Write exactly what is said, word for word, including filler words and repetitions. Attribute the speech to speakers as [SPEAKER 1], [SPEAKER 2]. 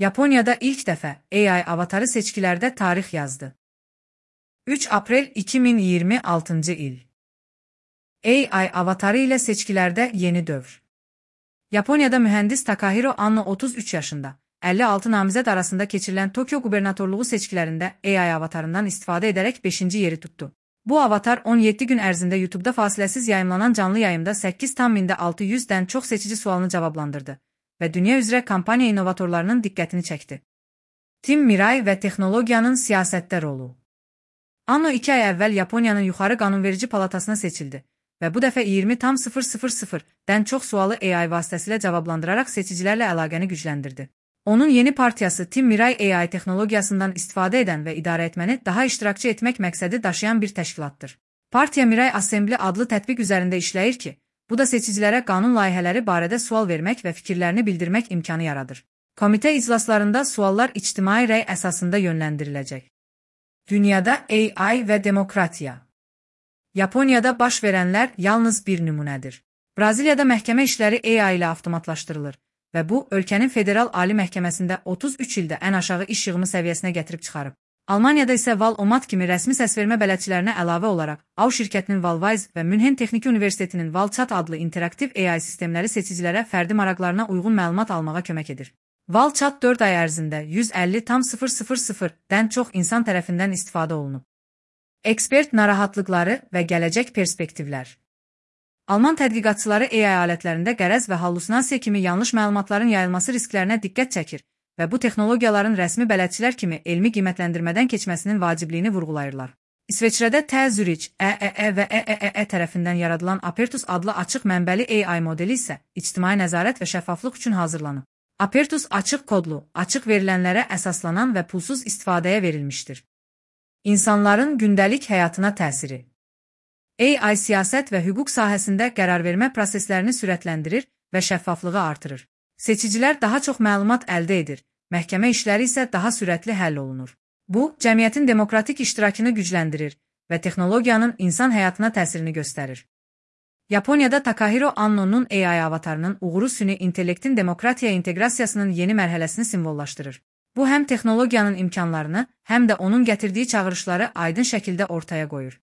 [SPEAKER 1] Yaponiyada ilk dəfə A I avatarı seçkilərdə tarix yazdı. üç aprel iki min iyirmi altıncı il. A I avatarı ilə seçkilərdə yeni dövr. Yaponiyada mühəndis Takahiro Anno otuz üç yaşında, əlli altı namizəd arasında keçirilən Tokyo qubernatorluğu seçkilərində A I avatarından istifadə edərək beşinci yeri tutdu. Bu avatar on yeddi gün ərzində YouTube-da fasiləsiz yayımlanan canlı yayımda səkkiz min altı yüzdən çox seçici sualını cavablandırdı və dünya üzrə kampaniya inovatorlarının diqqətini çəkdi. Tim Mirai və texnologiyanın siyasətdə rolu. Anno iki ay əvvəl Yaponiyanın yuxarı qanunverici palatasına seçildi və bu dəfə iyirmi dən çox sualı A I vasitəsilə cavablandıraraq seçicilərlə əlaqəni gücləndirdi. Onun yeni partiyası Tim Mirai A I texnologiyasından istifadə edən və idarə etməni daha iştirakçı etmək məqsədi daşıyan bir təşkilatdır. Partiya Mirai Assembly adlı tətbiq üzərində işləyir ki, bu da seçicilərə qanun layihələri barədə sual vermək və fikirlərini bildirmək imkanı yaradır. Komitə iclaslarında suallar ictimai rəy əsasında yönləndiriləcək. Dünyada A I və demokratiya. Yaponiyada baş verənlər yalnız bir nümunədir. Braziliyada məhkəmə işləri A I ilə avtomatlaşdırılır və bu, ölkənin Federal Ali Məhkəməsində otuz üç ildə ən aşağı iş yığımı səviyyəsinə gətirib çıxarıb. Almaniyada isə Val-O-Mat kimi rəsmi səsvermə bələdçilərinə əlavə olaraq A U şirkətinin Valwise və Münhen Texniki Universitetinin ValChat adlı interaktiv A I sistemləri seçicilərə fərdi maraqlarına uyğun məlumat almağa kömək edir. ValChat dörd ay ərzində yüz əlli min-dən çox insan tərəfindən istifadə olunub. Ekspert narahatlıqları və gələcək perspektivlər. Alman tədqiqatçıları A I alətlərində qərəz və hallusinasiya kimi yanlış məlumatların yayılması risklərinə diqqət çəkir və bu texnologiyaların rəsmi bələdçilər kimi elmi qiymətləndirmədən keçməsinin vacibliyini vurğulayırlar. İsveçrədə T Zürich, E E E və E E E tərəfindən yaradılan Apertus adlı açıq mənbəli A I modeli isə ictimai nəzarət və şəffaflıq üçün hazırlanıb. Apertus açıq kodlu, açıq verilənlərə əsaslanan və pulsuz istifadəyə verilmişdir. İnsanların gündəlik həyatına təsiri. A I siyasət və hüquq sahəsində qərarvermə proseslərini sürətləndirir və şəffaflığı artırır. Seçicilər daha çox məlumat əldə edir, məhkəmə işləri isə daha sürətli həll olunur. Bu, cəmiyyətin demokratik iştirakını gücləndirir və texnologiyanın insan həyatına təsirini göstərir. Yaponiyada Takahiro Anno'nun A I avatarının uğuru süni intellektin demokratiya inteqrasiyasının yeni mərhələsini simvollaşdırır. Bu, həm texnologiyanın imkanlarını, həm də onun gətirdiyi çağırışları aydın şəkildə ortaya qoyur.